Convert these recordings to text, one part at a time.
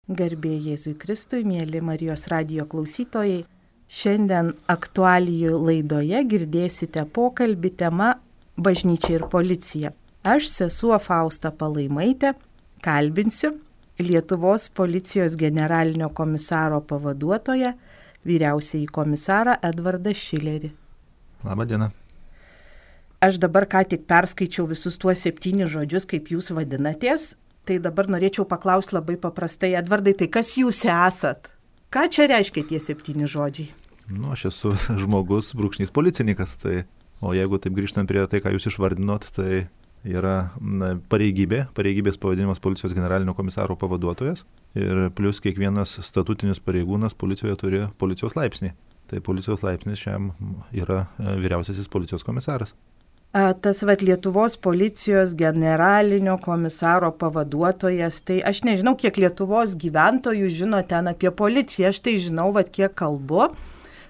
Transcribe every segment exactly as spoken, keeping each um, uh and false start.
Garbė Jėzui Kristui, mėly Marijos radijo klausytojai. Šiandien aktualijų laidoje girdėsite pokalbį tema Bažnyčia ir policija. Aš, sesuo Fausta Palaimaitė, kalbinsiu Lietuvos policijos generalinio komisaro pavaduotoją, vyriausiąjį komisarą Edvardą Šilerį. Labą dieną. Aš dabar ką tik perskaičiau visus tuos septynis žodžius, kaip jūs vadinatės. Tai dabar norėčiau paklausti labai paprastai, Edvardai, tai kas jūs esat? Ką čia reiškia tie septyni žodžiai? Nu, aš esu žmogus, brūkšnys policininkas, tai, o jeigu taip grįžtant prie tai, ką jūs išvardinot, tai yra na, pareigybė, pareigybės pavadinimas policijos generalinio komisaro pavaduotojas ir plus kiekvienas statutinis pareigūnas policijoje turi policijos laipsnį. Tai policijos laipsnis šiam yra vyriausiasis policijos komisaras. Tas vat Lietuvos policijos generalinio komisaro pavaduotojas, tai aš nežinau, kiek Lietuvos gyventojų žino ten apie policiją, aš tai žinau, vat kiek kalbu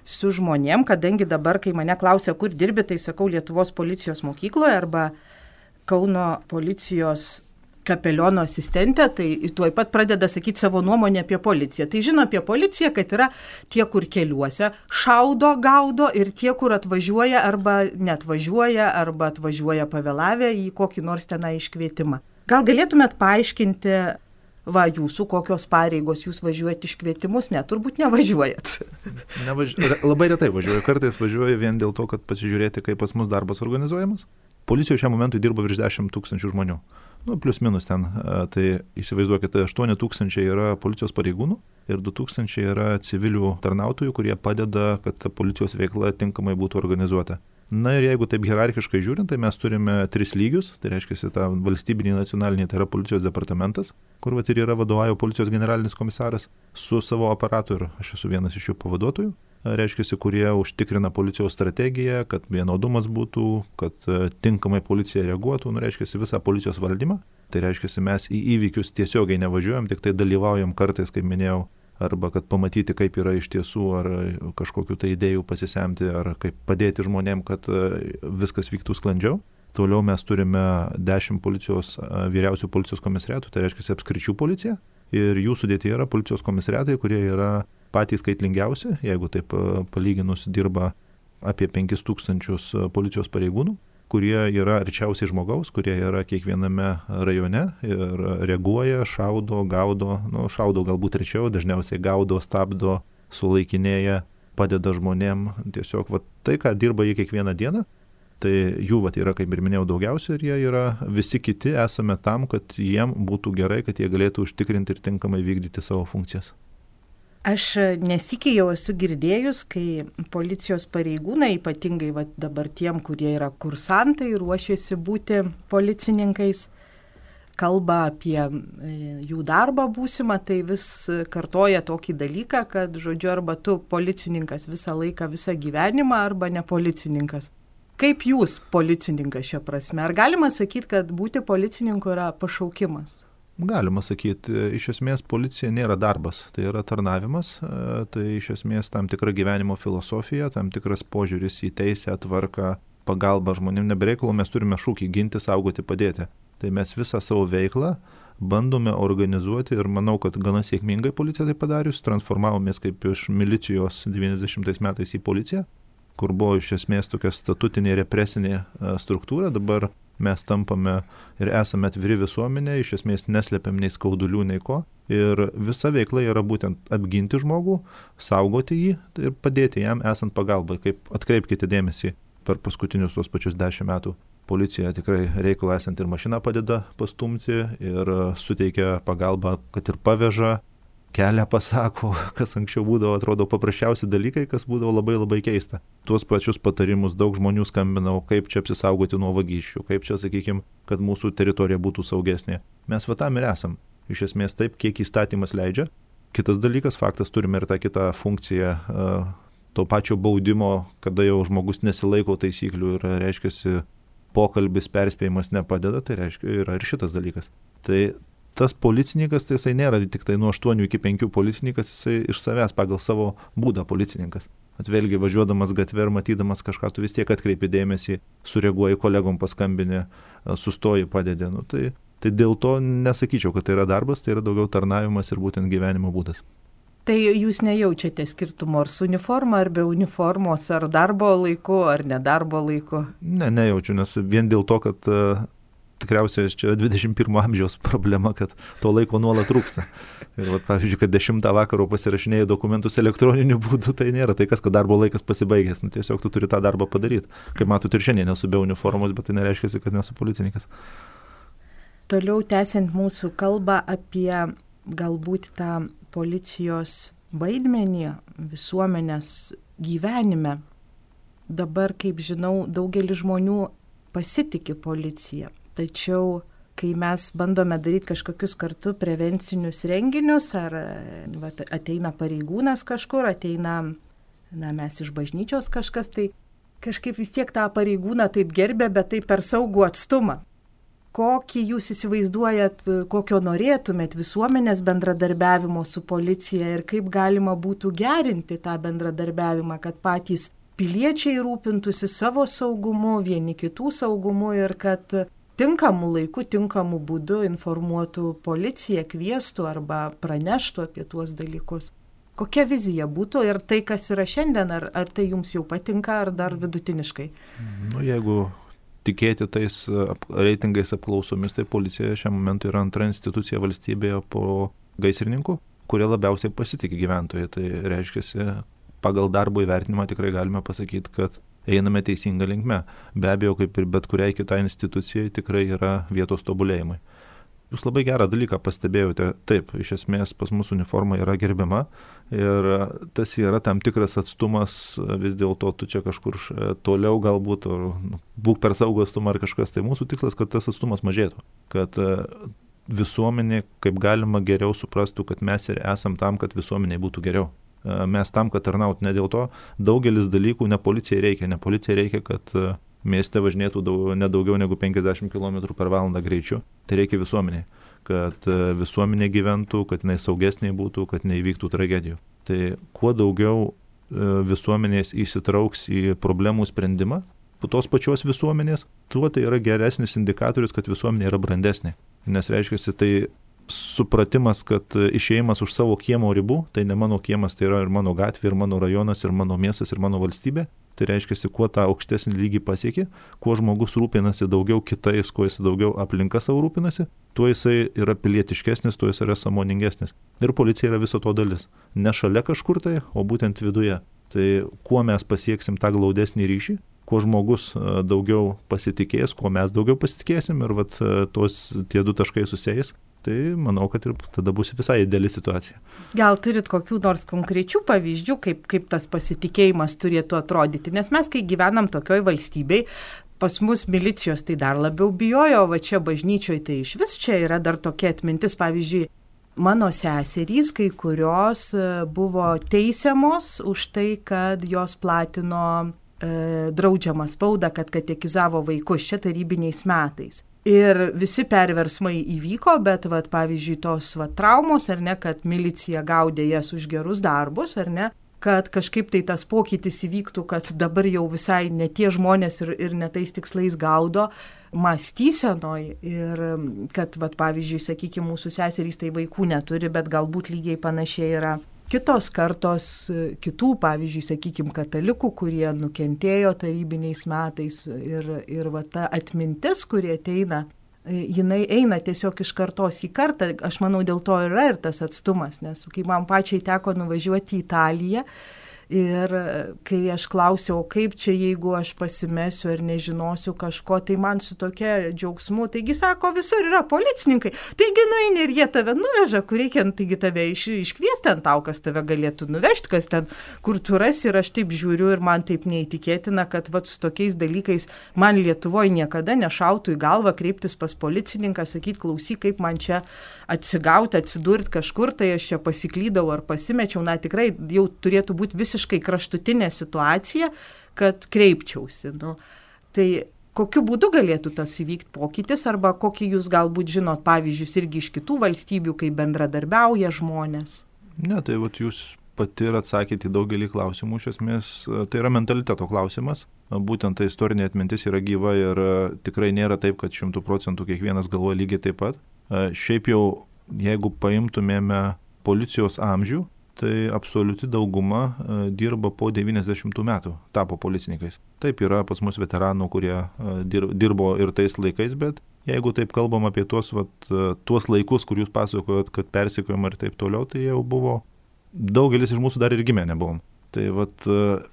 su žmonėm, kadangi dabar, kai mane klausia, kur dirbi, tai sakau Lietuvos policijos mokykloje arba Kauno policijos kapeliono asistentė, tai tuoj pat pradeda sakyti savo nuomonę apie policiją. Tai žino apie policiją, kad yra tie, kur keliuose šaudo, gaudo ir tie, kur atvažiuoja arba neatvažiuoja, arba atvažiuoja pavėlavę į kokį nors tenai iškvietimą. Gal galėtumėt paaiškinti, va, jūsų kokios pareigos, jūs važiuojat iškvietimus? Ne, turbūt nevažiuojat. Nevaži... Labai retai važiuoju, kartais važiuoju vien dėl to, kad pasižiūrėti, kaip pas mus darbas organizuojamas. Policijoje šiam momentui dirba virš dešimt tūkstančių žmonių. Nu, plius minus ten, tai įsivaizduokite, aštuoni tūkstančiai yra policijos pareigūnų ir du tūkstančiai yra civilių tarnautojų, kurie padeda, kad policijos veikla tinkamai būtų organizuota. Na ir jeigu taip hierarchiškai žiūrint, tai mes turime tris lygius, tai reiškia tą valstybinį nacionalinį, tai yra policijos departamentas, kur vat ir yra vadovauja policijos generalinis komisaras su savo aparatu ir aš esu vienas iš jų pavaduotojų. Reiškia, kurie užtikrina policijos strategiją, kad vienodumas būtų, kad tinkamai policija reaguotų, nu, reiškia, visą policijos valdymą. Tai reiškia, mes į įvykius tiesiogiai nevažiuojam, tik tai dalyvaujam kartais, kaip minėjau, arba kad pamatyti, kaip yra iš tiesų, ar kažkokių tai idėjų pasisemti, ar kaip padėti žmonėm, kad viskas vyktų sklandžiau. Toliau mes turime dešimt policijos, vyriausių policijos komisariatų, tai reiškia apskričių policija. Ir jų sudėtyje yra policijos komisariatai, kurie yra patys skaitlingiausi, jeigu taip palyginus dirba apie penkis tūkstančius policijos pareigūnų, kurie yra arčiausiai žmogaus, kurie yra kiekviename rajone ir reaguoja, šaudo, gaudo, nu, šaudo galbūt rečiau, dažniausiai gaudo, stabdo, sulaikinėja, padeda žmonėm. Tiesiog va, tai, ką dirba jie kiekvieną dieną, tai jų va, yra, kaip ir minėjau, daugiausia ir jie yra visi kiti, esame tam, kad jiem būtų gerai, kad jie galėtų užtikrinti ir tinkamai vykdyti savo funkcijas. Aš nesykiai jau esu girdėjus, kai policijos pareigūnai, ypatingai va, dabar tiem, kurie yra kursantai, ruošiasi būti policininkais, kalba apie jų darbą būsimą, tai vis kartoja tokį dalyką, kad, žodžiu, arba tu policininkas visą laiką, visą gyvenimą, arba ne policininkas. Kaip jūs policininkas šia prasme? Ar galima sakyti, kad būti policininku yra pašaukimas? Galima sakyti, iš esmės policija nėra darbas, tai yra tarnavimas, tai iš esmės tam tikra gyvenimo filosofija, tam tikras požiūris į teisę, tvarką, pagalbą žmonėm. Nebereikalo mes turime šūkį ginti, saugoti, padėti. Tai mes visą savo veiklą bandome organizuoti ir manau, kad gana sėkmingai policija tai padarius, transformavomės kaip iš milicijos devyniasdešimtais metais į policiją, kur buvo iš esmės tokia statutinė represinė struktūra, dabar mes tampame ir esame atviri visuomenė, iš esmės neslepiam nei skaudulių, nei ko. Ir visa veikla yra būtent apginti žmogų, saugoti jį ir padėti jam esant pagalbai. Kaip atkreipkite dėmesį per paskutinius tuos pačius dešimt metų. Policija tikrai reikalą esant ir mašiną padeda pastumti ir suteikia pagalbą, kad ir paveža, kelią pasako, kas anksčiau būdavo, atrodo, paprasčiausi dalykai, kas būdavo labai labai keista. Tuos pačius patarimus daug žmonių skambinau, kaip čia apsisaugoti nuo vagysčių, kaip čia, sakykime, kad mūsų teritorija būtų saugesnė. Mes va tam ir esam. Iš esmės taip, kiek įstatymas leidžia. Kitas dalykas, faktas, turime ir tą kitą funkciją to pačio baudimo, kada jau žmogus nesilaiko taisyklių ir reiškiasi pokalbis, perspėjimas nepadeda, tai reiškia yra ir šitas dalykas. Tai tas policininkas, tai jisai nėra tik tai nuo aštuonių iki penkių policininkas, jisai iš savęs pagal savo būdą policininkas. Atvėlgi važiuodamas gatvę ir matydamas kažką, tu vis tiek atkreipi dėmesį, sureaguoji kolegom paskambinę, sustoji, padedi. Nu, tai Tai dėl to nesakyčiau, kad tai yra darbas, tai yra daugiau tarnavimas ir būtent gyvenimo būdas. Tai jūs nejaučiate skirtumo ar su uniforma, ar be uniformos, ar darbo laiku, ar nedarbo laiku? Ne, nejaučiu, nes vien dėl to, kad uh, tikriausiai čia dvidešimt pirmo amžiaus problema, kad to laiko nuolat trūksta. Ir vat, pavyzdžiui, kad dešimtą vakaro pasirašinėjai dokumentus elektroniniu būdu, tai nėra tai kas, kad darbo laikas pasibaigęs. Nu, tiesiog tu turi tą darbą padaryti. Kaip matot, ir šiandien nesu be uniformos, bet tai nereiškia, kad nesu policininkas. Toliau tęsiant mūsų kalbą apie galbūt tą policijos vaidmenį visuomenės gyvenime. Dabar, kaip žinau, daugelis žmonių pasitiki policiją. Tačiau, kai mes bandome daryti kažkokius kartu prevencinius renginius, ar va, ateina pareigūnas kažkur, ateina, na, mes iš bažnyčios kažkas, tai kažkaip vis tiek tą pareigūną taip gerbė, bet taip per saugų atstumą. Kokį jūs įsivaizduojat, kokio norėtumėt visuomenės bendradarbiavimo su policija ir kaip galima būtų gerinti tą bendradarbiavimą, kad patys piliečiai rūpintųsi savo saugumu, vieni kitų saugumu ir kad tinkamų laikų, tinkamų būdų informuotų policiją, kviestų arba praneštų apie tuos dalykus. Kokia vizija būtų ir tai, kas yra šiandien, ar, ar tai jums jau patinka, ar dar vidutiniškai? Nu, jeigu tikėti tais reitingais apklausomis, tai policija šiam momentu yra antra institucija valstybėje po gaisrininkų, kurie labiausiai pasitikė gyventojai. Tai reiškia, pagal darbo įvertinimą tikrai galime pasakyti, kad einame teisinga linkme. Be abejo, kaip ir bet kuriai kitai institucijai, tikrai yra vietos tobulėjimai. Jūs labai gerą dalyką pastebėjote. Taip, iš esmės pas mūsų uniforma yra gerbiama ir tas yra tam tikras atstumas, vis dėlto tu čia kažkur toliau galbūt, ar būk per saugų atstumą ar kažkas. Tai mūsų tikslas, kad tas atstumas mažėtų, kad visuomenė kaip galima geriau suprastų, kad mes ir esam tam, kad visuomeniai būtų geriau. Mes tam, kad tarnaut, ne dėl to daugelis dalykų ne policijai reikia, ne policijai reikia, kad mieste važinėtų daug, ne daugiau negu penkiasdešimt kilometrų per valandą greičiu. Tai reikia visuomeniai, kad visuomenė gyventų, kad jinai saugesnė būtų, kad neįvyktų tragedijų. Tai kuo daugiau visuomenės įsitrauks į problemų sprendimą, po tos pačios visuomenės, tuo tai yra geresnis indikatorius, kad visuomenė yra brandesnė. Nes reiškia, tai supratimas, kad išėjimas už savo kiemo ribų, tai ne mano kiemas, tai yra ir mano gatvė, ir mano rajonas, ir mano miestas, ir mano valstybė. Tai reiškia, kuo tą aukštesnį lygį pasiekė, kuo žmogus rūpinasi daugiau kitais, kuo jis daugiau aplinka savo rūpinasi, tuo jisai yra pilietiškesnis, tuo jis yra sąmoningesnis. Ir policija yra viso to dalis. Ne šalia kažkur tai, o būtent viduje. Tai kuo mes pasieksim tą glaudesnį ryšį, kuo žmogus daugiau pasitikės, kuo mes daugiau pasitikėsim ir vat, tos, tie du taškai susėjęs, tai manau, kad ir tada bus visai ideali situacija. Gal turit kokių nors konkrečių pavyzdžių, kaip, kaip tas pasitikėjimas turėtų atrodyti? Nes mes, kai gyvenam tokioj valstybei, pas mus milicijos tai dar labiau bijojo, o va čia bažnyčioje tai iš vis čia yra dar tokia atmintis. Pavyzdžiui, mano seserys, kai kurios buvo teisiamos už tai, kad jos platino e, draudžiamą spaudą, kad katekizavo vaikus čia tarybiniais metais. Ir visi perversmai įvyko, bet, vat, pavyzdžiui, tos vat, traumos, ar ne, kad milicija gaudė jas už gerus darbus, ar ne, kad kažkaip tai tas pokytis įvyktų, kad dabar jau visai ne tie žmonės ir, ir ne tais tikslais gaudo mąstysenoj. Ir kad, vat, pavyzdžiui, sakykime, mūsų seserys tai vaikų neturi, bet galbūt lygiai panašiai yra kitos kartos, kitų, pavyzdžiui, sakykime, katalikų, kurie nukentėjo tarybiniais metais ir, ir va, ta atmintis, kurie ateina, jinai eina tiesiog iš kartos į kartą. Aš manau, dėl to yra ir tas atstumas, nes kai man pačiai teko nuvažiuoti į Italiją ir kai aš klausiau, kaip čia, jeigu aš pasimesiu ar nežinosiu kažko, tai man su tokia džiaugsmu, taigi sako, visur yra policininkai, taigi nueini ir jie tave nuveža, kur reikia, taigi tave iš, iškviesti ten tau, kas tave galėtų nuvežti, kas ten, kur tu rasi. Ir aš taip žiūriu ir man taip neįtikėtina, kad vat, su tokiais dalykais man Lietuvoje niekada nešautų į galvą kreiptis pas policininką, sakyti, klausyk, kaip man čia atsigauti, atsidurti kažkur, tai aš čia pasiklydau ar pasimečiau, na tikrai jau turėtų būti visiškai kraštutinė situacija, kad kreipčiausi. Nu, tai kokiu būdu galėtų tas įvykti pokytis, arba kokį jūs galbūt žinot pavyzdžius irgi iš kitų valstybių, kai bendradarbiauja žmonės? Ne, tai vat jūs pati ir atsakėte į daugelį klausimų. Iš esmės, tai yra mentaliteto klausimas. būtent ta istorinė atmintis yra gyva ir tikrai nėra taip, kad šimtų procentų kiekvienas galvoja lygiai taip pat. Šiaip jau, jeigu paimtumėme policijos amžių, tai absoliuti dauguma dirba po devyniasdešimtų metų, tapo policininkais. Taip yra pas mus veteranų, kurie dirbo ir tais laikais, bet jeigu taip kalbam apie tuos, vat, tuos laikus, kur jūs pasakojot, kad persekiojama ir taip toliau, tai jau buvo, daugelis iš mūsų dar ir gimę nebuvom. Tai vat,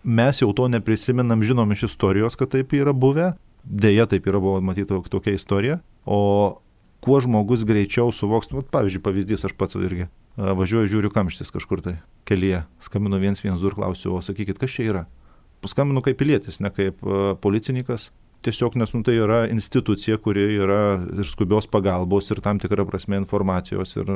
mes jau to neprisimenam, žinom iš istorijos, kad taip yra buvę, dėja taip yra buvo matyti tokia istorija, o kuo žmogus greičiau suvoks, vat, pavyzdžiui, pavyzdys aš pats irgi. Važiuoju, žiūriu kamštis kažkur tai kelyje, skambinu vienas vienas du ir klausiu, o sakykit, kas čia yra? Paskambinu kaip pilietis, ne kaip policininkas, tiesiog nes nu, tai yra institucija, kuri yra ir skubios pagalbos ir tam tikra prasme informacijos ir,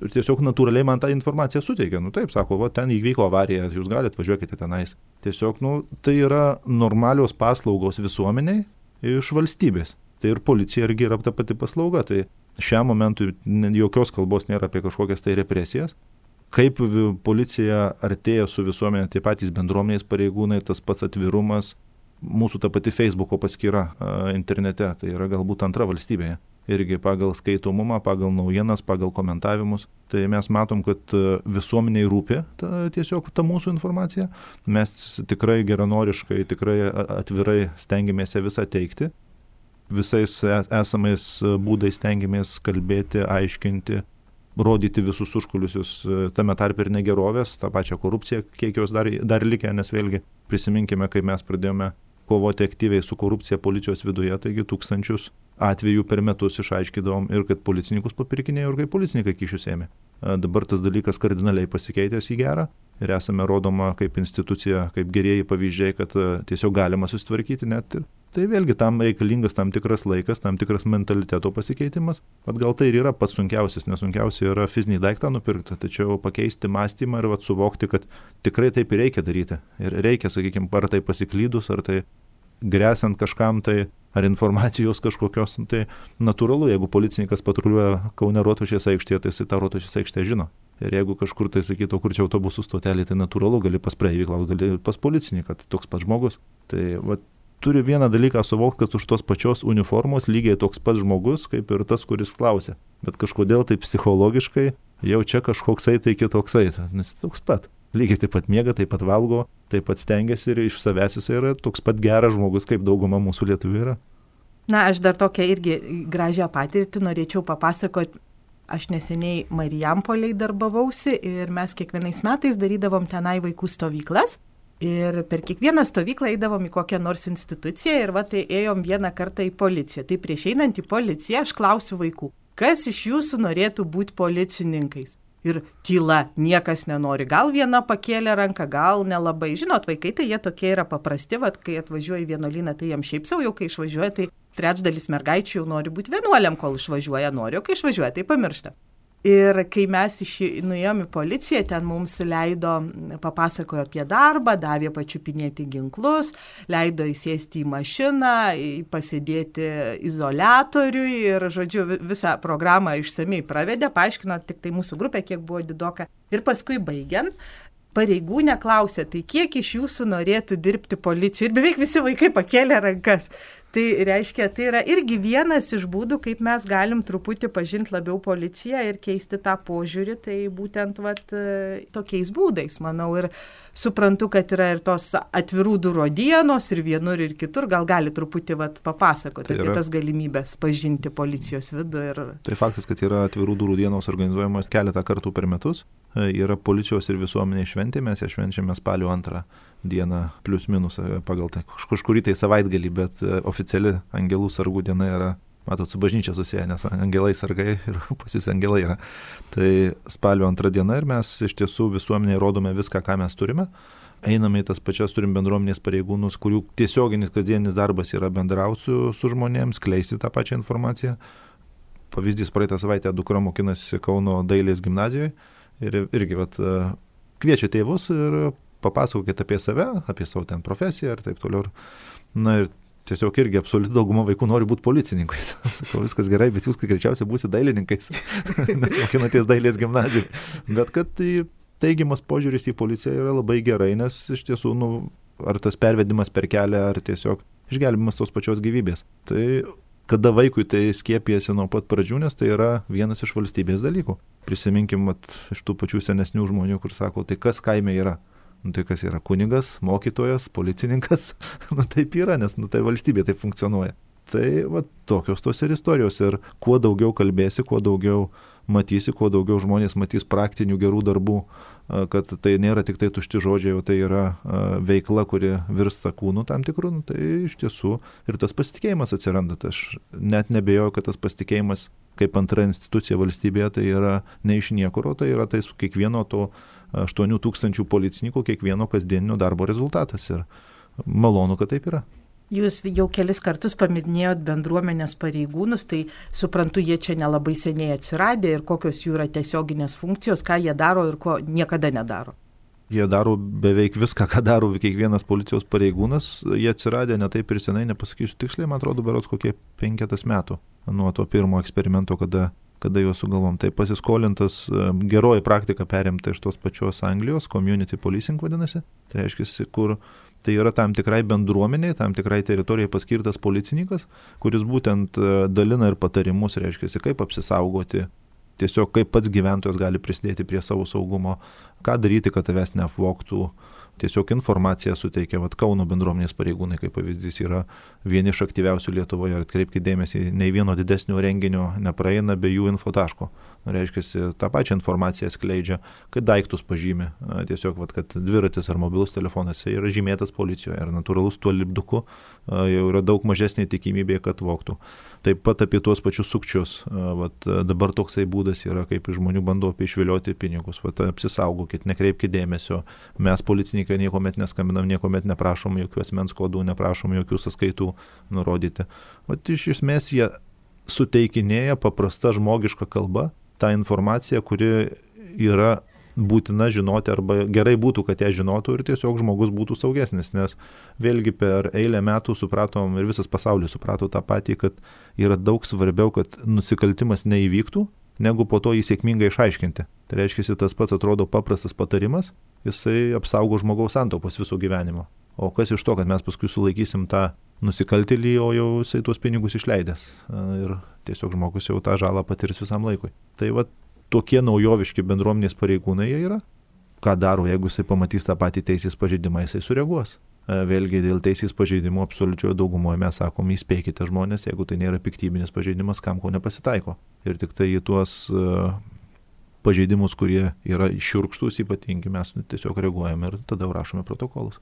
ir tiesiog natūraliai man tą informaciją suteikia. Nu taip, sako, va, ten įvyko avarija, jūs galite, važiuokite tenais. Tiesiog, nu, tai yra normalios paslaugos visuomeniai iš valstybės. Tai ir policija irgi yra ta pati paslauga. Tai šiam momentui jokios kalbos nėra apie kažkokias tai represijas. Kaip policija artėja su visuomenė, tai patys bendruomenės pareigūnai, tas pats atvirumas, mūsų ta pati Facebooko paskyra internete, tai yra galbūt antra valstybėje. Irgi pagal skaitomumą, pagal naujienas, pagal komentavimus. Tai mes matom, kad visuomeniai rūpi ta, tiesiog ta mūsų informacija. Mes tikrai geranoriškai, tikrai atvirai stengiamės visą teikti. Visais esamais būdais stengiamės kalbėti, aiškinti, rodyti visus užkulisius, tame tarp ir negerovės, tą pačią korupciją, kiek jos dar, dar likę, nes vėlgi prisiminkime, kai mes pradėjome kovoti aktyviai su korupcija policijos viduje, taigi tūkstančius atvejų per metus išaiškidavom ir kad policininkus papirkinėjo ir kaip policininkai kyšius ėmė. Dabar tas dalykas kardinaliai pasikeitęs į gerą ir esame rodoma kaip institucija, kaip gerieji pavyzdžiai, kad tiesiog galima susitvarkyti net ir. Tai vėlgi tam reikalingas tam tikras laikas, tam tikras mentaliteto pasikeitimas. Vat gal tai ir yra pats sunkiausias, nes sunkiausia yra fizinį daiktą nupirkti, tačiau pakeisti mąstymą ir vat suvokti, kad tikrai taip ir reikia daryti. Ir reikia, sakykime, ar tai pasiklydus, ar tai grėsant kažkam tai, ar informacijos kažkokios, tai natūralu, jeigu policininkas patruliuoja Kaune Rotušės aikštėje, tai jis tą Rotušės aikštę žino. Ir jeigu kažkur tai sakytų, kur čia autobusų stotelė, tai natūralu, gali pas praeivį klausti, gali pas policininką, tai toks pats žmogus. Tai vat, turi vieną dalyką suvokti, kad už tos pačios uniformos lygiai toks pats žmogus, kaip ir tas, kuris klausia. Bet kažkodėl tai psichologiškai jau čia kažkoksai tai kitoksai, nes toks pat. Lygiai taip pat miega, taip pat valgo, taip pat stengiasi ir iš savęs jis yra toks pat geras žmogus, kaip dauguma mūsų lietuvių yra. Na, aš dar tokią irgi gražią patirtį norėčiau papasakoti. Aš neseniai Marijampoliai darbavausi ir mes kiekvienais metais darydavom tenai vaikų stovyklas. Ir per kiekvieną stovyklą eidavom į kokią nors instituciją ir va tai ėjom vieną kartą į policiją. Tai prieš einant į policiją aš klausiu vaikų, kas iš jūsų norėtų būti policininkais? Ir tyla, niekas nenori. Gal viena pakėlė ranką, gal nelabai. Žinot, vaikai tai jie tokie yra paprasti, vat, kai atvažiuoja į vienuolyną, tai jiems šiaip savo jau, kai išvažiuoja, tai trečdalis mergaičių jau nori būti vienuoliam, kol išvažiuoja nori, o kai išvažiuoja, tai pamiršta. Ir kai mes iš, nuėjom į policiją, ten mums leido, papasakojo apie darbą, davė pačiupinėti ginklus, leido įsėsti į mašiną, pasėdėti izoliatoriui ir, žodžiu, visą programą išsamiai pravedė, paaiškino tik tai mūsų grupė, kiek buvo didoka. Ir paskui baigiant, pareigūnė klausė, tai kiek iš jūsų norėtų dirbti policijoje? Ir beveik visi vaikai pakėlė rankas. Tai reiškia, tai yra irgi vienas iš būdų, kaip mes galim truputį pažinti labiau policiją ir keisti tą požiūrį, tai būtent vat, tokiais būdais, manau, ir suprantu, kad yra ir tos atvirų durų dienos ir vienur ir kitur, gal gali truputį vat, papasakoti tai apie yra, tas galimybės pažinti policijos vidų. Ir... Tai faktas, kad yra atvirų durų dienos organizuojamos keletą kartų per metus, yra policijos ir visuomenė šventė, mes ją švenčiame spalio antrą dieną plius minus pagal tai kažkurį tai savaitgalį, bet oficiali angelų sargų diena yra, matot, su bažnyčia susiję, nes angelai sargai ir pas jūs angelai yra. Tai spalio antra diena ir mes iš tiesų visuomenėje rodome viską, ką mes turime. Einame į tas pačias, turim bendruomenės pareigūnus, kurių tiesioginis kasdienis darbas yra bendrauti su, su žmonėms, skleisti tą pačią informaciją. Pavyzdys, praeitą savaitę dukra mokinasi Kauno dailės gimnazijoje ir irgi vat, kviečia tėvus ir papasakokit apie save, apie savo ten profesiją ir taip toliau. Na ir tiesiog irgi absoliuti dauguma vaikų nori būti policininkais. Sakau, viskas gerai, bet jūs greičiausiai būsite dailininkais, nes mokinatės dailės gimnazijoje. Bet kad tai teigiamas požiūris į policiją yra labai gerai, nes iš tiesų nu, ar tas pervedimas per kelią, ar tiesiog išgelbimas tos pačios gyvybės. Tai kada vaikui tai skiepijasi nuo pat pradžių, nes tai yra vienas iš valstybės dalykų. Prisiminkim vat, iš tų pačių senesnių žmonių, kur sako, tai kas kaime yra? Nu, tai kas yra kunigas, mokytojas, policininkas? Nu taip yra, nes nu, tai valstybė taip funkcionuoja. Tai va, tokios tos ir istorijos. Ir kuo daugiau kalbėsi, kuo daugiau matysi, kuo daugiau žmonės matys praktinių gerų darbų, kad tai nėra tik tai tušti žodžiai, o tai yra veikla, kuri virsta kūnu tam tikrų, nu, tai iš tiesų ir tas pasitikėjimas atsiranda. Tai aš net nebejoju, kad tas pasitikėjimas kaip antra institucija valstybėje tai yra ne iš niekur, o tai yra tai kiekvieno to aštuonių tūkstančių policininkų, kiekvieno kasdieninio darbo rezultatas. Ir malonu, kad taip yra. Jūs jau kelis kartus paminėjot bendruomenės pareigūnus, tai suprantu, jie čia nelabai seniai atsiradę ir kokios jų yra tiesioginės funkcijos, ką jie daro ir ko niekada nedaro. Jie daro beveik viską, ką daro kiekvienas policijos pareigūnas. Jie atsiradę ne taip ir senai, nepasakysiu tiksliai, man atrodo, berods kokie penketas metų nuo to pirmo eksperimento, kada, kada juos sugalvom. Tai pasiskolintas geroji praktika perimta iš tos pačios Anglijos, community policing vadinasi. Tai reiškia, kur tai yra tam tikrai bendruomeniai, tam tikrai teritorijai paskirtas policininkas, kuris būtent dalina ir patarimus, reiškia, kaip apsisaugoti, tiesiog kaip pats gyventojas gali prisidėti prie savo saugumo, ką daryti, kad tavęs neapvogtų. Tiesiog informaciją suteikia, vat Kauno bendruomenės pareigūnai, kaip pavyzdys, yra vieni iš aktyviausių Lietuvoje. Ir atkreipkite dėmesį, nei vieno didesnio renginio nepraeina be jų infotaško. Reiškia, tą pačią informaciją skleidžia, kad daiktus pažymi. Tiesiog, vat, kad dviratis ar mobilus telefonas yra žymėtas policijoje. Ir natūralus tuo lipduku jau yra daug mažesnė tikimybė, kad vogtų. Taip pat apie tuos pačius sukčius. Vat, dabar toksai būdas yra, kaip žmonių bando išvilioti pinigus. Vat, apsisaugokit, nekreipkite dėmesio. Mes policininkai niekuomet neskambinam, niekuomet neprašom jokių asmens kodų, neprašom jokių sąskaitų nurodyti. Vat, iš esmės jie suteikinėja paprasta žmogiška kalba tą informaciją, kuri yra būtina žinoti arba gerai būtų, kad ją žinotų ir tiesiog žmogus būtų saugesnis, nes vėlgi per eilę metų supratom ir visas pasaulis suprato tą patį, kad yra daug svarbiau, kad nusikaltimas neįvyktų, negu po to jį sėkmingai išaiškinti. Tai reiškia, tas pats atrodo paprastas patarimas, jisai apsaugo žmogaus santaupos viso gyvenimo. O kas iš to, kad mes paskui sulaikysim tą nusikaltėlį, o jau jisai tuos pinigus išleidęs. Ir tiesiog žmogus jau tą žalą patirs visam laikui. Tai va tokie naujoviški bendruomenės pareigūnai jie yra. Ką daro, jeigu jisai pamatys tą patį teisės pažeidimą, jisai sureaguos. Vėlgi dėl teisės pažeidimo absoliučioje daugumoje mes sakom, įspėkite žmonės, jeigu tai nėra piktybinis pažeidimas, kam ko nepasitaiko. Ir tik tai į tuos uh, pažeidimus, kurie yra šiurkštūs ypatingi, mes tiesiog reaguojame ir tada rašome protokolus.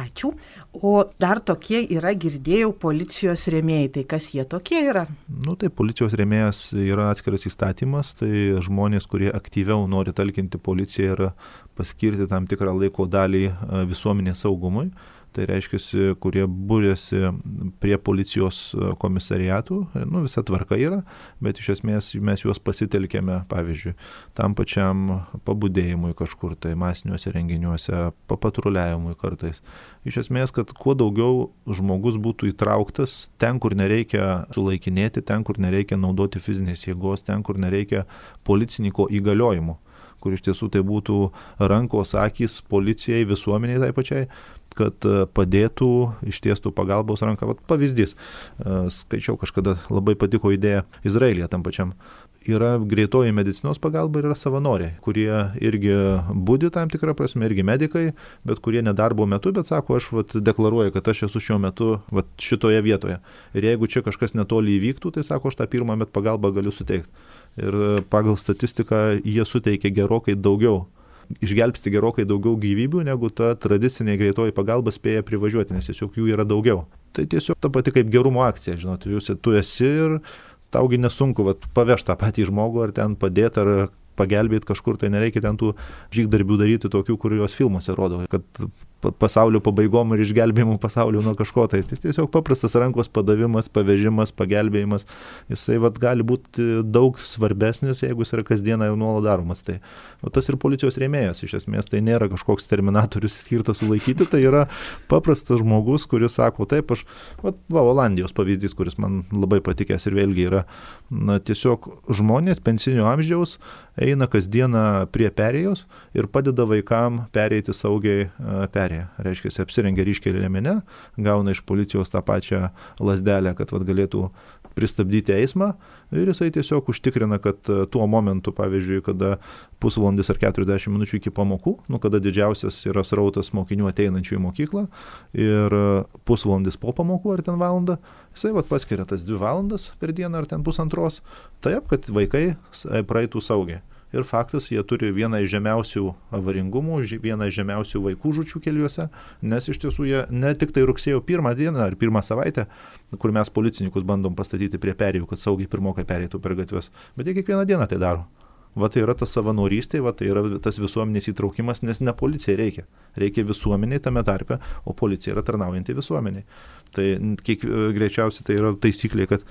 Ačiū. O dar tokie yra, girdėjau, policijos rėmėjai. Tai kas jie tokie yra? Nu, tai policijos rėmėjas yra atskiras įstatymas, tai žmonės, kurie aktyviau nori talkinti policiją ir paskirti tam tikrą laiko dalį visuomenės saugumui. Tai reiškia, kurie būrėsi prie policijos komisariatų, nu, visa tvarka yra, bet iš esmės mes juos pasitelkėme, pavyzdžiui, tam pačiam pabudėjimui kažkur, tai masiniuose renginiuose, papatruliavimui kartais. Iš esmės, kad kuo daugiau žmogus būtų įtrauktas ten, kur nereikia sulaikinėti, ten, kur nereikia naudoti fizinės jėgos, ten, kur nereikia policininko įgaliojimų, kur iš tiesų tai būtų rankos, akys policijai, visuomeniai tai pačiai, kad padėtų, ištiestų pagalbos ranką. Vat pavyzdys, skaičiau kažkada, labai patiko idėja Izraelyje tam pačiam. Yra greitoji medicinos pagalba ir yra savanoriai, kurie irgi budi tam tikrą prasme, irgi medikai, bet kurie nedarbo metu, bet sako, aš vat deklaruoju, kad aš esu šiuo metu vat šitoje vietoje. Ir jeigu čia kažkas netoli įvyktų, tai sako, aš tą pirmą met pagalbą galiu suteikti. Ir pagal statistiką jie suteikia gerokai daugiau. Išgelbsti gerokai daugiau gyvybių, negu ta tradicinė greitoji pagalba spėja privažiuoti, nes tiesiog jų yra daugiau. Tai tiesiog ta pati kaip gerumo akcija, žinot, jūs, tu esi ir taugi nesunku vat, pavežti tą patį žmogų ar ten padėti ar pagelbėti kažkur, tai nereikia ten tų žygdarbių daryti tokių, kuriuos filmuose rodo, kad pasaulio pabaigom ir išgelbėjimų pasaulio nuo kažko. Tai tiesiog paprastas rankos padavimas, pavežimas, pagelbėjimas, jisai vat, gali būti daug svarbesnis, jeigu jis yra kasdieną jau nuolat daromas. Tai o tas ir policijos rėmėjas, iš esmės, tai nėra kažkoks terminatorius skirtas sulaikyti, tai yra paprastas žmogus, kuris sako, taip, aš, vat, va, Olandijos pavyzdys, kuris man labai patikęs ir vėlgi yra, na, tiesiog žmonės pensinio amžiaus eina kasdieną prie perėjos ir padeda vaikam pereiti saugiai perėjos. perėją. Reiškia, apsirengia ryškiai liemene, gauna iš policijos tą pačią lazdelę, kad vat, galėtų pristabdyti eismą ir jisai tiesiog užtikrina, kad tuo momentu, pavyzdžiui, kada pusvalandis ar keturiasdešimt minučių iki pamokų, nu, kada didžiausias yra srautas mokinių ateinančių į mokyklą ir pusvalandis po pamokų ar ten valandą, jisai vat, paskiria tas dvi valandas per dieną ar ten pusantros, taip, kad vaikai praeitų saugiai. Ir faktas, jie turi vieną iš žemiausių avaringumų, vieną iš žemiausių vaikų žūčių keliuose, nes iš tiesų jie ne tik tai rugsėjo pirmą dieną ar pirmą savaitę, kur mes policininkus bandom pastatyti prie perėjų, kad saugiai pirmokai pereitų per gatves, bet jie kiekvieną dieną tai daro. Va tai yra tas savanorystė, va tai yra tas visuomenės įtraukimas, nes ne policijai reikia. Reikia visuomeniai tame tarpe, o policija yra tarnaujanti visuomeniai. Tai kiek, greičiausiai tai yra taisyklė, kad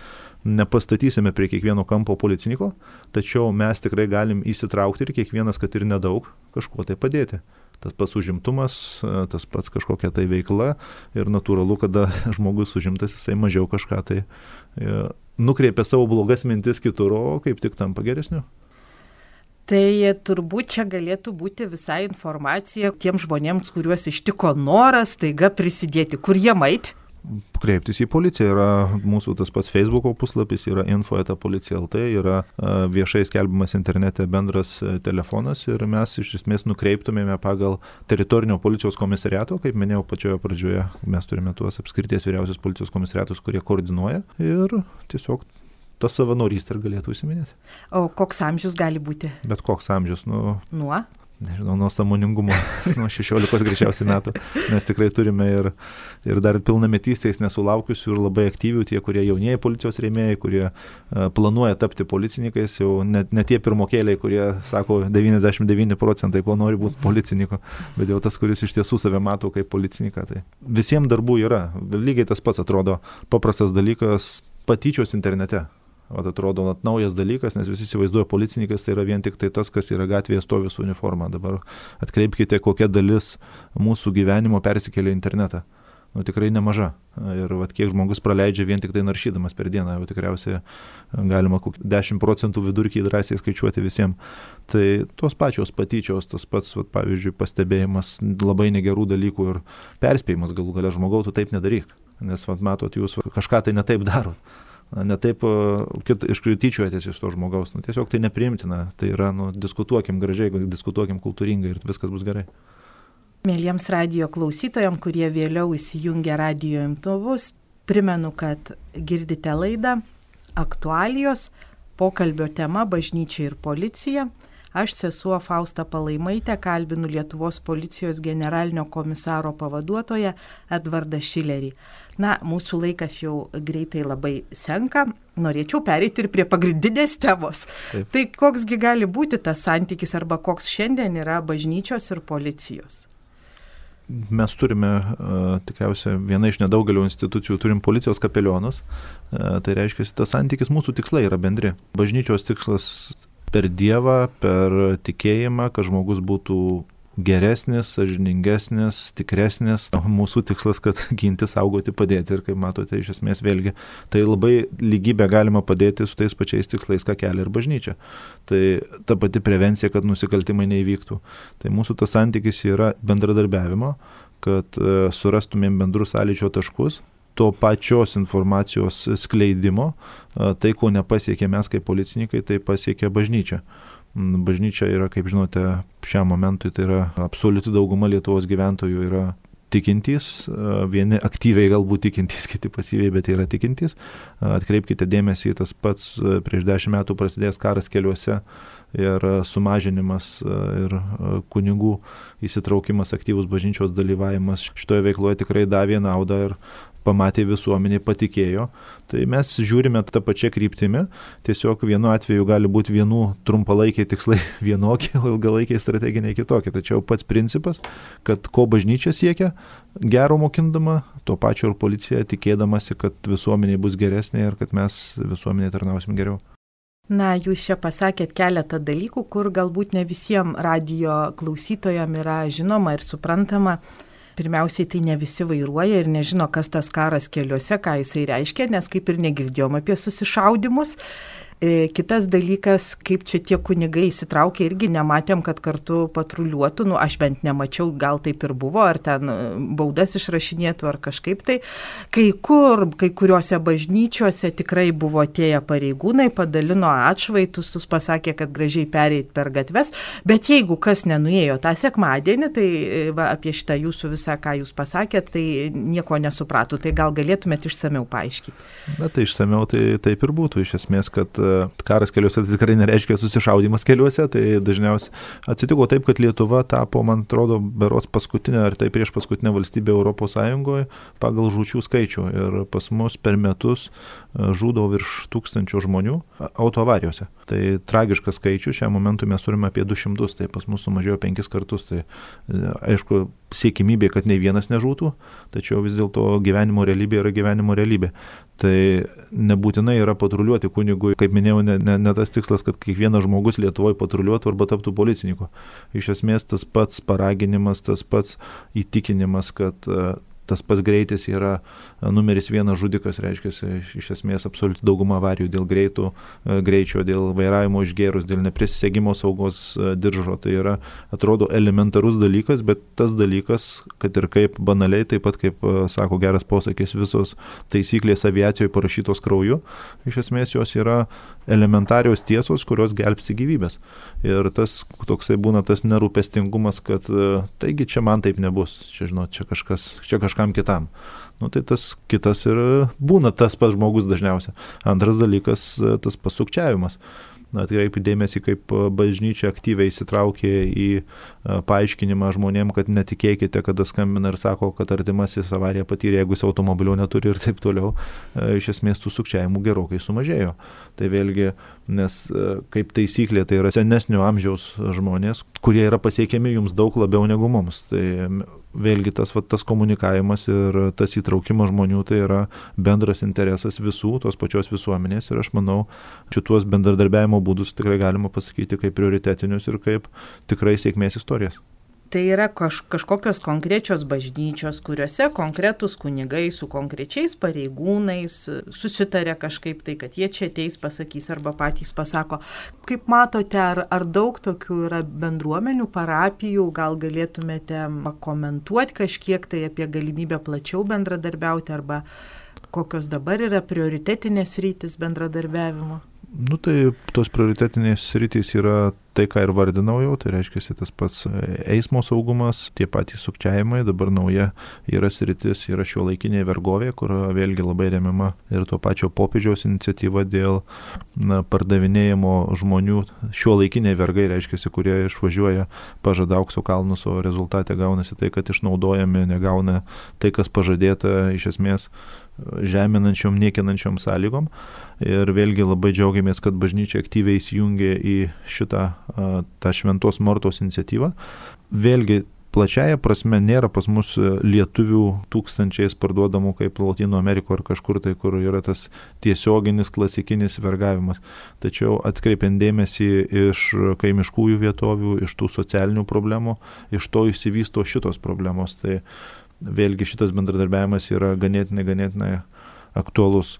nepastatysime prie kiekvieno kampo policininko, tačiau mes tikrai galim įsitraukti ir kiekvienas, kad ir nedaug, kažkuo tai padėti. Tas pats užimtumas, tas pats kažkokia tai veikla ir natūralu, kada žmogus užimtas, jisai mažiau kažką tai nukreipia savo blogas mintis kitur, o kaip tik tampa geresniu. Tai turbūt čia galėtų būti visai informacija tiems žmonėms, kuriuos ištiko noras taiga prisidėti. Kur jie mait? Kreiptis į policiją. Yra mūsų tas pats Facebooko puslapis, yra info eta policija taškas lt, yra viešai skelbiamas internete bendras telefonas ir mes iš esmės nukreiptumėme pagal teritorinio policijos komisariato, kaip minėjau pačioje pradžioje, mes turime tuos apskrities vyriausios policijos komisariatus, kurie koordinuoja ir tiesiog tas savanorystė ir galėtų užsiminėti. O koks amžius gali būti? Bet koks amžius, nu... Nuo? Nežinau, nuo sąmoningumo, nuo šešiolikos greičiausiai metų. Mes tikrai turime ir, ir dar pilnametystės nesulaukusių ir labai aktyvių, tie, kurie jaunieji policijos rėmėjai, kurie uh, planuoja tapti policininkais, jau net ne tie pirmokėliai, kurie sako devyniasdešimt devyni procentai, ko nori būti policininku, bet jau tas, kuris iš tiesų save mato kaip policininką. Tai visiems darbų yra. Lygiai tas pats atrodo paprastas dalykas patyčios internete. Vat atrodo vat, naujas dalykas, nes visi įsivaizduoja policininkas, tai yra vien tik tai tas, kas yra gatvėje stovi su uniforma. Dabar atkreipkite, kokia dalis mūsų gyvenimo persikėlė į internetą. Nu, tikrai nemaža. Ir vat, kiek žmogus praleidžia vien tik tai naršydamas per dieną, jau tikriausiai galima dešimt procentų vidurkį drąsiai skaičiuoti visiems. Tai tos pačios patyčios, tas pats, vat, pavyzdžiui, pastebėjimas labai negerų dalykų ir perspėjimas galų gale žmogau, tu taip nedaryk. Nes vat, matot, jūs kažką tai netaip darot. Ne taip iškrityčiuojatės iš to žmogaus. Nu, tiesiog tai nepriimtina. Tai yra, nu, diskutuokim gražiai, diskutuokim kultūringai ir viskas bus gerai. Mėlyjams radijo klausytojams, kurie vėliau įsijungia radijo imtuvus, primenu, kad girdite laidą Aktualijos, pokalbio tema Bažnyčia ir policija. Aš, sesuo Fausta Palaimaitė, kalbinu Lietuvos policijos generalinio komisaro pavaduotoją Edvardą Šilerį. Na, mūsų laikas jau greitai labai senka. Norėčiau pereiti ir prie pagrindinės temos. Taip. Tai koksgi gali būti tas santykis arba koks šiandien yra bažnyčios ir policijos? Mes turime, uh, tikriausiai, viena iš nedaugelio institucijų, turim policijos kapelionus. Uh, tai reiškia, tas santykis, mūsų tikslai yra bendri. Bažnyčios tikslas per Dievą, per tikėjimą, kad žmogus būtų geresnis, sąžiningesnis, tikresnis. Mūsų tikslas, kad ginti, saugoti, padėti ir kaip matote, iš esmės vėlgi, tai labai lygybę galima padėti su tais pačiais tikslais, ką kelia ir bažnyčia. Tai ta pati prevencija, kad nusikaltimai neįvyktų. Tai mūsų tas santykis yra bendradarbiavimo, kad uh, surastumėm bendrus sąlyčio taškus, to pačios informacijos skleidimo, tai, ko nepasiekė mes kaip policininkai, tai pasiekė bažnyčia. Bažnyčia yra, kaip žinote, šiam momentui tai yra absoliuti dauguma Lietuvos gyventojų yra tikintys, vieni aktyviai galbūt tikintys, kiti pasyviai, bet yra tikintys. Atkreipkite dėmesį, tas pats prieš dešimt metų prasidėjęs karas keliuose ir sumažinimas ir kunigų įsitraukimas, aktyvus bažnyčios dalyvavimas šitoje veikloje tikrai davė naudą ir pamatė visuomenė, patikėjo. Tai mes žiūrime tą pačią kryptimį, tiesiog vienu atveju gali būti vienų trumpalaikiai tikslai vienokie, o ilgalaikiai strateginiai kitokie. Tačiau pats principas, kad ko bažnyčia siekia, gero mokindama, to pačio ir policija tikėdamasi, kad visuomenė bus geresnė ir kad mes visuomenė tarnausim geriau. Na, jūs čia pasakėt keletą dalykų, kur galbūt ne visiems radijo klausytojams yra žinoma ir suprantama. Pirmiausiai, tai ne visi vairuoja ir nežino, kas tas karas keliuose, ką jisai reiškia, nes kaip ir negirdėjom apie susišaudimus. Kitas dalykas, kaip čia tie kunigai įsitraukė, irgi nematėm, kad kartu patruliuotų, nu aš bent nemačiau, gal taip ir buvo, ar ten baudas išrašinėtų, ar kažkaip tai. Kai kur, kai kuriuose bažnyčiose tikrai buvo atėję pareigūnai, padalino atšvaitus, jūs pasakė, kad gražiai pereit per gatves, bet jeigu kas nenuėjo tą sekmadienį, tai va, apie šitą jūsų visą, ką jūs pasakėt, tai nieko nesupratų, tai gal galėtumėt išsamiau paaiškinti. Na tai išsamiau tai taip ir būtų, iš esmės, kad karas keliuose tai tikrai nereiškia susišaudimas keliuose, tai dažniausiai atsitiko taip, kad Lietuva tapo, man atrodo, berods paskutinė ar tai prieš paskutinę valstybę Europos Sąjungoje pagal žūčių skaičių ir pas mus per metus žūdavo virš tūkstančio žmonių autoavarijose. Tai tragiškas skaičius, šiam momentui mes turime apie du šimtus, tai pas mus sumažėjo penkis kartus, tai aišku, siekimybė, kad nei vienas nežūtų, tačiau vis dėlto gyvenimo realybė yra gyvenimo realybė. Tai nebūtinai yra patruliuoti kunigui, kaip minėjau, ne, ne, ne tas tikslas, kad kiekvienas žmogus Lietuvoje patruliuotų arba taptų policininku. Iš esmės tas pats paraginimas, tas pats įtikinimas, kad tas pats greitis yra numeris vienas žudikas, reiškia, iš esmės absoliuti dauguma avarijų dėl greitų, greičio, dėl vairavimo išgėrus, dėl neprisisegimo saugos diržo. Tai yra, atrodo, elementarus dalykas, bet tas dalykas, kad ir kaip banaliai, taip pat kaip sako geras posakis, visos taisyklės aviacijoje parašytos krauju, iš esmės jos yra elementarios tiesos, kurios gelbsti gyvybės. Ir tas toksai būna tas nerūpestingumas, kad taigi čia man taip nebus, čia žinot, čia kažkas, čia kažkam kitam. Nu, tai tas kitas ir būna tas pats žmogus dažniausiai. Antras dalykas, tas pasukčiavimas. Atkreipiu dėmesį, kaip bažnyčia aktyviai įsitraukė į paaiškinimą žmonėm, kad netikėkite, kada skambina ir sako, kad artimasis avariją patyrė, jeigu jis automobilio neturi ir taip toliau. Iš esmės tų sukčiavimų gerokai sumažėjo. Tai vėlgi, nes kaip taisyklė, tai yra senesnio amžiaus žmonės, kurie yra pasiekiami jums daug labiau negu mums. Tai vėlgi tas, va, tas komunikavimas ir tas įtraukimas žmonių tai yra bendras interesas visų, tos pačios visuomenės ir aš manau, šituos bendradarbiavimo būdus tikrai galima pasakyti kaip prioritetinius ir kaip tikrai sėkmės istorijas. Tai yra kaž, kažkokios konkrečios bažnyčios, kuriuose konkretus kunigai su konkrečiais pareigūnais susitarė kažkaip tai, kad jie čia ateis, pasakys arba patys pasako. Kaip matote, ar, ar daug tokių yra bendruomenių, parapijų, gal galėtumėte komentuoti kažkiek tai apie galimybę plačiau bendradarbiauti arba kokios dabar yra prioritetinės rytis bendradarbiavimo? Nu tai tos prioritetinės sritys yra tai, ką ir vardinau jau, tai reiškia tas pats eismo saugumas, tie patys sukčiavimai, dabar nauja yra sritis, yra šiuolaikinė vergovė, kur vėlgi labai remiama ir to pačio popiežiaus iniciatyva dėl na, pardavinėjimo žmonių, šiuolaikiniai vergai, reiškia, kurie išvažiuoja pažada aukso kalnus, o rezultate gaunasi tai, kad išnaudojami, negauna tai, kas pažadėta iš esmės žeminančiom, niekinančiom sąlygom. Ir vėlgi labai džiaugiamės, kad bažnyčia aktyviai įsijungė į šitą tą Šventos Mortos iniciatyvą. Vėlgi plačiaja prasme nėra pas mus lietuvių tūkstančiais parduodamų kaip Lotynų Amerikoje ar kažkur tai, kur yra tas tiesioginis klasikinis vergavimas. Tačiau atkreipiant dėmesį iš kaimiškųjų vietovių, iš tų socialinių problemų, iš to išsivysto šitos problemos. Tai vėlgi šitas bendradarbiavimas yra ganėtinai, ganėtinai aktualus.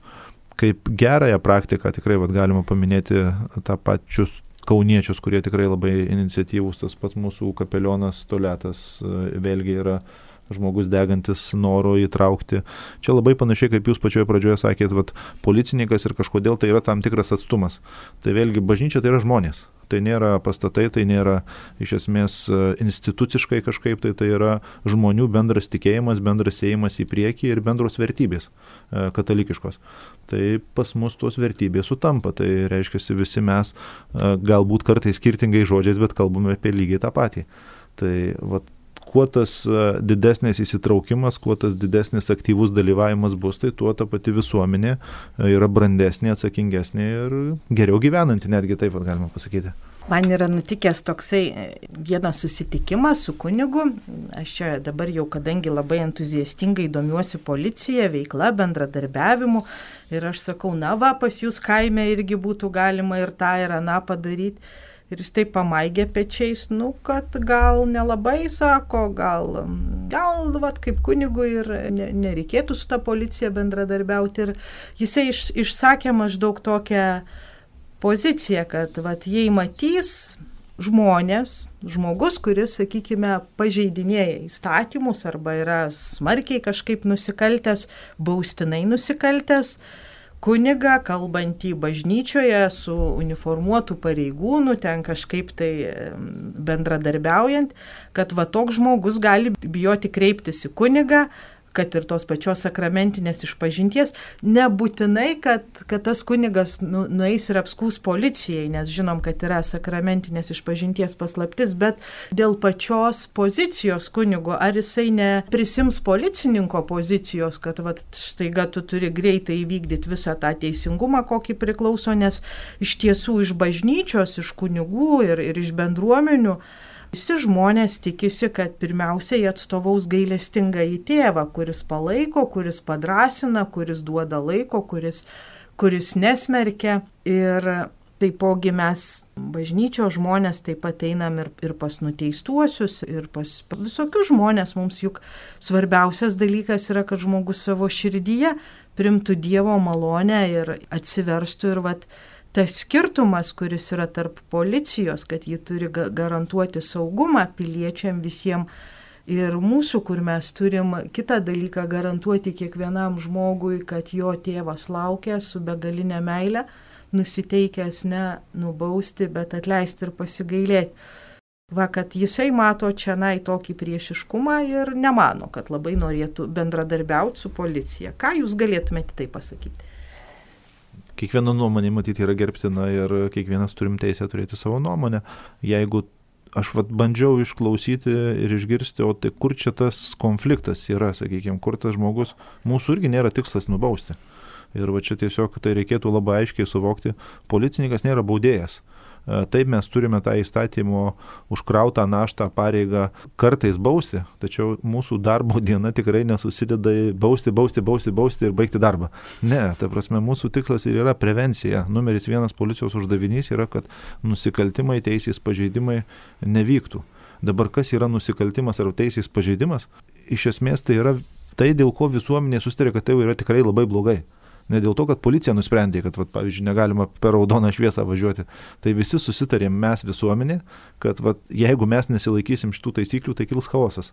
Kaip gerąją praktiką tikrai vat, galima paminėti tą pačius kauniečius, kurie tikrai labai iniciatyvūs, tas pats mūsų kapelionas Toletas vėlgi yra žmogus degantis noro įtraukti. Čia labai panašiai, kaip jūs pačioje pradžioje sakėt, vat, policininkas ir kažkodėl tai yra tam tikras atstumas. Tai vėlgi bažnyčia tai yra žmonės. Tai nėra pastatai, tai nėra iš esmės instituciškai kažkaip, tai tai yra žmonių bendras tikėjimas, bendras ėjimas į priekį ir bendros vertybės katalikiškos. Tai pas mus tos vertybės sutampa, tai reiškia visi mes galbūt kartais skirtingai žodžiais, bet kalbame apie lygiai tą patį. Tai vat, kuo tas didesnis įsitraukimas, kuo tas didesnis aktyvus dalyvavimas bus, tai tuo ta pati visuomenė yra brandesnė, atsakingesnė ir geriau gyvenanti, netgi taip galima pasakyti. Man yra nutikęs toksai vienas susitikimas su kunigu. Aš čia dabar jau, kadangi labai entuziastingai domiuosi policija, veikla, bendradarbiavimu ir aš sakau, na va, pas jūs kaime irgi būtų galima ir tą ir aną padaryti. Ir jis taip pamaigė pečiais, nu, kad gal nelabai sako, gal, gal vat, kaip kunigui ir ne, nereikėtų su ta policija bendradarbiauti. Ir jisai iš, išsakė maždaug tokią poziciją, kad vat, jei matys žmonės, žmogus, kuris, sakykime, pažeidinėja įstatymus arba yra smarkiai kažkaip nusikaltęs, baustinai nusikaltęs, kunigą, kalbantį bažnyčioje su uniformuotų pareigūnų, ten kažkaip tai bendradarbiaujant, kad va toks žmogus gali bijoti kreiptis į kunigą, kad ir tos pačios sakramentinės išpažinties, nebūtinai, kad, kad tas kunigas nu, nueis ir apskūs policijai, nes žinom, kad yra sakramentinės išpažinties paslaptis, bet dėl pačios pozicijos kunigo, ar jisai neprisims policininko pozicijos, kad vat, štaiga tu turi greitai įvykdyti visą tą teisingumą, kokį priklauso, nes iš tiesų iš bažnyčios, iš kunigų ir, ir iš bendruomenių visi žmonės tikisi, kad pirmiausiai atstovaus gailestingąjį tėvą, kuris palaiko, kuris padrasina, kuris duoda laiko, kuris, kuris nesmerkia. Ir taipogi mes bažnyčios žmonės taip pat einam ir, ir pas nuteistuosius, ir pas visokius žmonės. Mums juk svarbiausias dalykas yra, kad žmogus savo širdyje primtų Dievo malonę ir atsiverstų ir vat, tas skirtumas, kuris yra tarp policijos, kad ji turi garantuoti saugumą piliečiam visiems ir mūsų, kur mes turim kitą dalyką garantuoti kiekvienam žmogui, kad jo tėvas laukia su begalinė meile, nusiteikęs ne nubausti, bet atleisti ir pasigailėti. Va, kad jisai mato čianai tokį priešiškumą ir nemano, kad labai norėtų bendradarbiauti su policija. Ką jūs galėtumėte tai pasakyti? Kiekviena nuomonė matyti yra gerbtina ir kiekvienas turim teisę turėti savo nuomonę. Jeigu aš vat, bandžiau išklausyti ir išgirsti, o tai kur čia tas konfliktas yra, sakykime, kur tas žmogus, mūsų irgi nėra tikslas nubausti. Ir va čia tiesiog tai reikėtų labai aiškiai suvokti, policininkas nėra baudėjas. Taip mes turime tą įstatymo užkrautą naštą pareigą kartais bausti, tačiau mūsų darbo diena tikrai nesusideda į bausti, bausti, bausti, bausti ir baigti darbą. Ne, ta prasme, mūsų tikslas ir yra prevencija. Numeris vienas policijos uždavinys yra, kad nusikaltimai, teisės pažeidimai nevyktų. Dabar kas yra nusikaltimas ar teisės pažeidimas? Iš esmės tai yra tai, dėl ko visuomenė susitarė, kad tai yra tikrai labai blogai. Ne dėl to, kad policija nusprendė, kad, vat, pavyzdžiui, negalima per raudoną šviesą važiuoti. Tai visi susitarėm mes visuomenė, kad vat, jeigu mes nesilaikysim šitų taisyklių, tai kils chaosas.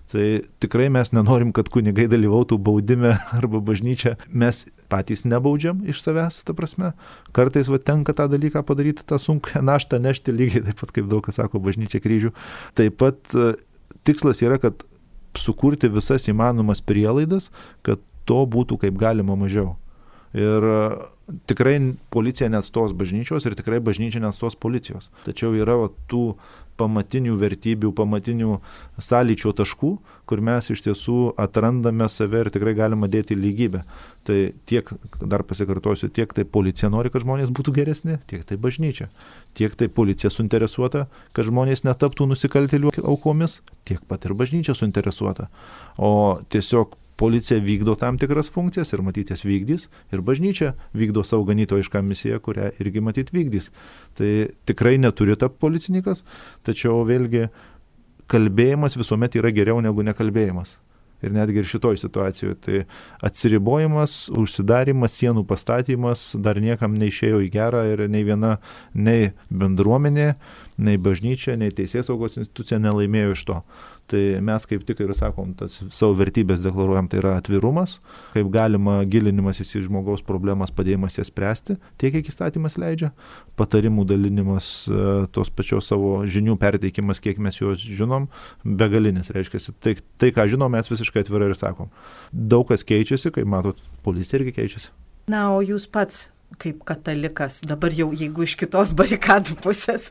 Tai tikrai mes nenorim, kad kunigai dalyvautų baudime arba bažnyčia. Mes patys nebaudžiam iš savęs, ta prasme. Kartais vat, tenka tą dalyką padaryti, tą sunkią naštą nešti, lygiai taip pat, kaip daug kas sako, bažnyčia kryžių. Taip pat tikslas yra, kad sukurti visas įmanomas prielaidas, kad to būtų kaip galima mažiau. Ir tikrai policija neatstos bažnyčios ir tikrai bažnyčia neatstos policijos. Tačiau yra va, tų pamatinių vertybių, pamatinių sąlyčio taškų, kur mes iš tiesų atrandame save ir tikrai galima dėti lygybę. Tai tiek, dar pasikartosiu, tiek tai policija nori, kad žmonės būtų geresni, tiek tai bažnyčia. Tiek tai policija suinteresuota, kad žmonės netaptų nusikaltėlių aukomis, tiek pat ir bažnyčia suinteresuota. O tiesiog policija vykdo tam tikras funkcijas ir matyt jas vykdys, ir bažnyčia vykdo savo ganytojišką misiją, kurią irgi matyt vykdys. Tai tikrai neturi tapti policininkas, tačiau vėlgi kalbėjimas visuomet yra geriau negu nekalbėjimas. Ir netgi ir šitoj situacijoje. Tai atsiribojimas, užsidarimas, sienų pastatymas dar niekam neišėjo į gerą ir nei viena, nei bendruomenė, nei bažnyčia, nei teisėsaugos institucija nelaimėjo iš to. Tai mes kaip tik ir sakom, tas savo vertybės deklaruojam, tai yra atvirumas, kaip galima gilinimas į žmogaus problemas, padėjimas jas spręsti, tiek kiek įstatymas leidžia, patarimų dalinimas, tos pačios savo žinių perteikimas, kiek mes juos žinom, begalinis, reiškia, tai, tai ką žinom, mes visiškai atvirai ir sakom. Daug kas keičiasi, kaip matot, policija irgi keičiasi. Na, o jūs pats kaip katalikas, dabar jau jeigu iš kitos barikadų pusės,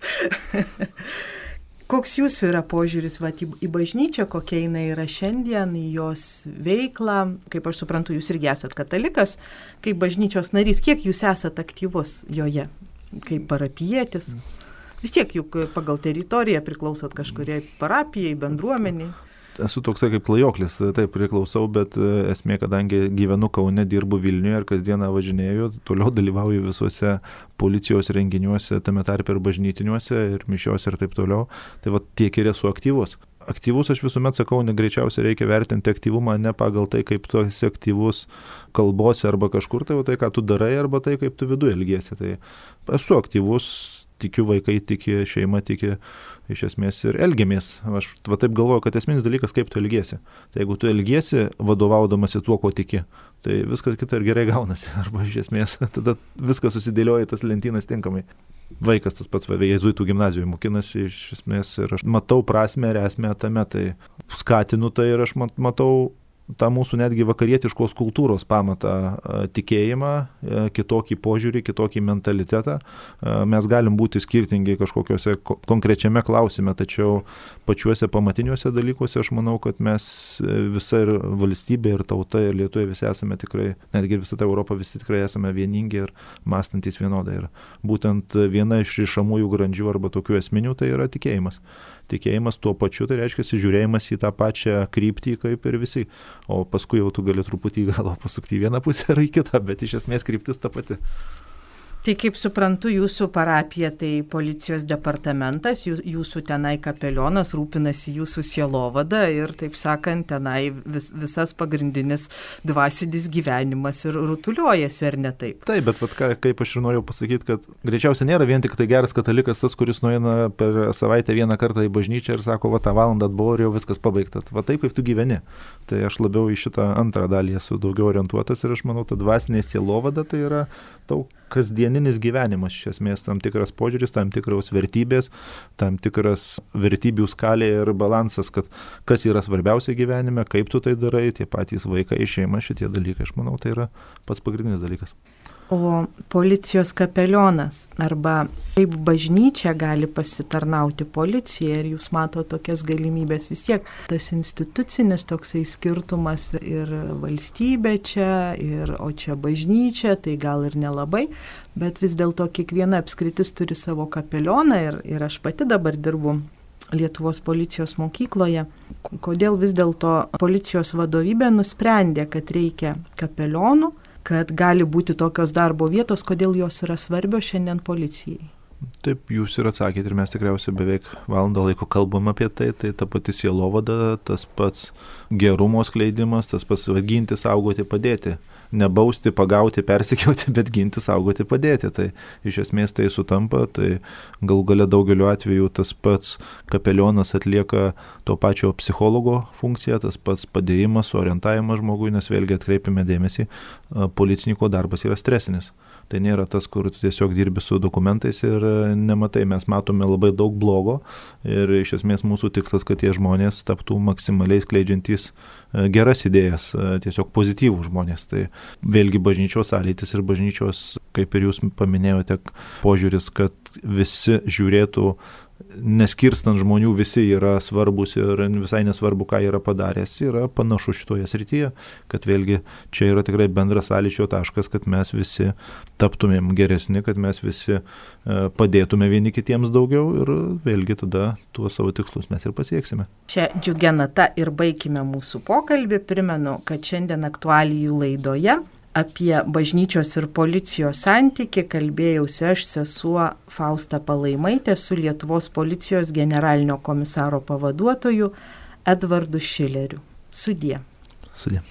koks jūsų yra požiūris va, į, į bažnyčią, kokia jinai yra šiandien, į jos veiklą, kaip aš suprantu, jūs irgi esat katalikas, kaip bažnyčios narys, kiek jūs esat aktyvus joje, kaip parapietis? Vis tiek juk pagal teritoriją priklausot kažkuriai parapijai, bendruomeniai. Esu toksai kaip klajoklis, taip priklausau, bet esmė, kadangi gyvenu Kaune, dirbu Vilniuje ir kasdieną važinėju, toliau dalyvauju visuose policijos renginiuose, tame tarpe ir bažnytiniuose, ir mišiuose ir taip toliau. Tai va tiek ir esu aktyvus. aktyvus, aš visuomet sakau, negreičiausiai reikia vertinti aktyvumą ne pagal tai, kaip tu esi aktyvus kalbose arba kažkur, tai o tai, ką tu darai, arba tai, kaip tu viduje elgiesi. Tai esu aktyvus, tikiu, vaikai tiki, šeima tiki, iš esmės ir elgiamės. Aš va taip galvoju, kad esminis dalykas, kaip tu elgiesi. Tai jeigu tu elgiesi vadovaudamasi tuo, ko tiki, tai viskas kita ir gerai gaunasi. Arba iš esmės tada viskas susidėlioja tas lentynas tinkamai. Vaikas tas pats jėzuitų gimnazijoje mokinasi iš esmės ir aš matau prasmę ir esmę tame, tai skatinu tai ir aš matau tą mūsų netgi vakarietiškos kultūros pamatą, tikėjimą, kitokį požiūrį, kitokį mentalitetą. Mes galim būti skirtingi kažkokiuose konkrečiame klausime, tačiau pačiuose pamatiniuose dalykuose aš manau, kad mes visa ir valstybė, ir tauta, ir lietuviai visi esame tikrai, netgi visa ta Europa visi tikrai esame vieningi ir mąstantis vienodai. Ir būtent viena iš rišamųjų grandžių arba tokių esminių tai yra tikėjimas. Tikėjimas tuo pačiu, tai reiškia žiūrėjimas į tą pačią kryptį kaip ir visi. O paskui jau tu gali truputį galvo pasukti į vieną pusę ar į kitą, bet iš esmės kryptis ta pati. Tai kaip suprantu, jūsų parapija tai policijos departamentas, jūsų tenai kapelionas rūpinasi jūsų sielovada ir, taip sakant, tenai vis, visas pagrindinis dvasinis gyvenimas ir rutuliuojasi, ar ne taip? Taip, bet vat, ką, kaip aš ir noriu pasakyti, kad greičiausiai nėra vien tik tai geras katalikas tas, kuris nueina per savaitę vieną kartą į bažnyčią ir sako, va tą valandą atbuvau ir jau viskas pabaigta. Va taip, kaip tu gyveni. Tai aš labiau į šitą antrą dalį esu daugiau orientuotas ir aš manau, ta dvasinė sielovada tai yra tau kasdieninis gyvenimas, iš esmės tam tikras požiūris, tam tikros vertybės, tam tikras vertybių skalė ir balansas, kad kas yra svarbiausia gyvenime, kaip tu tai darai, tie patys vaikai, šeima, šitie dalykai, aš manau, tai yra pats pagrindinis dalykas. O policijos kapelionas arba kaip bažnyčia gali pasitarnauti policijai ir jūs mato tokias galimybės vis tiek. Tas institucinis toksai skirtumas ir valstybė čia, ir, o čia bažnyčia, tai gal ir nelabai, bet vis dėlto kiekviena apskritis turi savo kapelioną ir, ir aš pati dabar dirbu Lietuvos policijos mokykloje. Kodėl vis dėlto policijos vadovybė nusprendė, kad reikia kapelionų, kad gali būti tokios darbo vietos, kodėl jos yra svarbios šiandien policijai? Taip, jūs ir atsakėte ir mes tikriausiai beveik valandą laiko kalbam apie tai, tai ta pati sielovada, tas pats gerumo skleidimas, tas pats ginti, saugoti, padėti. Nebausti, pagauti, persekioti, bet ginti, saugoti, padėti. Tai iš esmės tai sutampa, tai gal galia daugeliu atveju tas pats kapelionas atlieka to pačio psichologo funkciją, tas pats padėjimas, orientavimas žmogui, nes vėlgi atkreipime dėmesį, policininko darbas yra stresinis. Tai nėra tas, kur tu tiesiog dirbi su dokumentais ir nematai. Mes matome labai daug blogo ir iš esmės mūsų tikslas, kad tie žmonės taptų maksimaliai skleidžiantys geras idėjas, tiesiog pozityvų žmonės. Tai vėlgi bažnyčios sąlytis ir bažnyčios, kaip ir jūs paminėjote, požiūris, kad visi žiūrėtų, neskirstant žmonių, visi yra svarbus ir visai nesvarbu, ką yra padaręs, yra panašu šitoje srityje, kad vėlgi čia yra tikrai bendras sąlyčio taškas, kad mes visi taptumėm geresni, kad mes visi padėtume vieni kitiems daugiau ir vėlgi tada tuos savo tikslus mes ir pasieksime. Čia džiugia nata ir baikime mūsų pokalbį. Primenu, kad šiandien aktualijų laidoje apie bažnyčios ir policijos santykį kalbėjausi aš, sesuo Fausta Palaimaitė, su Lietuvos policijos generalinio komisaro pavaduotoju Edvardu Šileriu. Sudie. Sudie.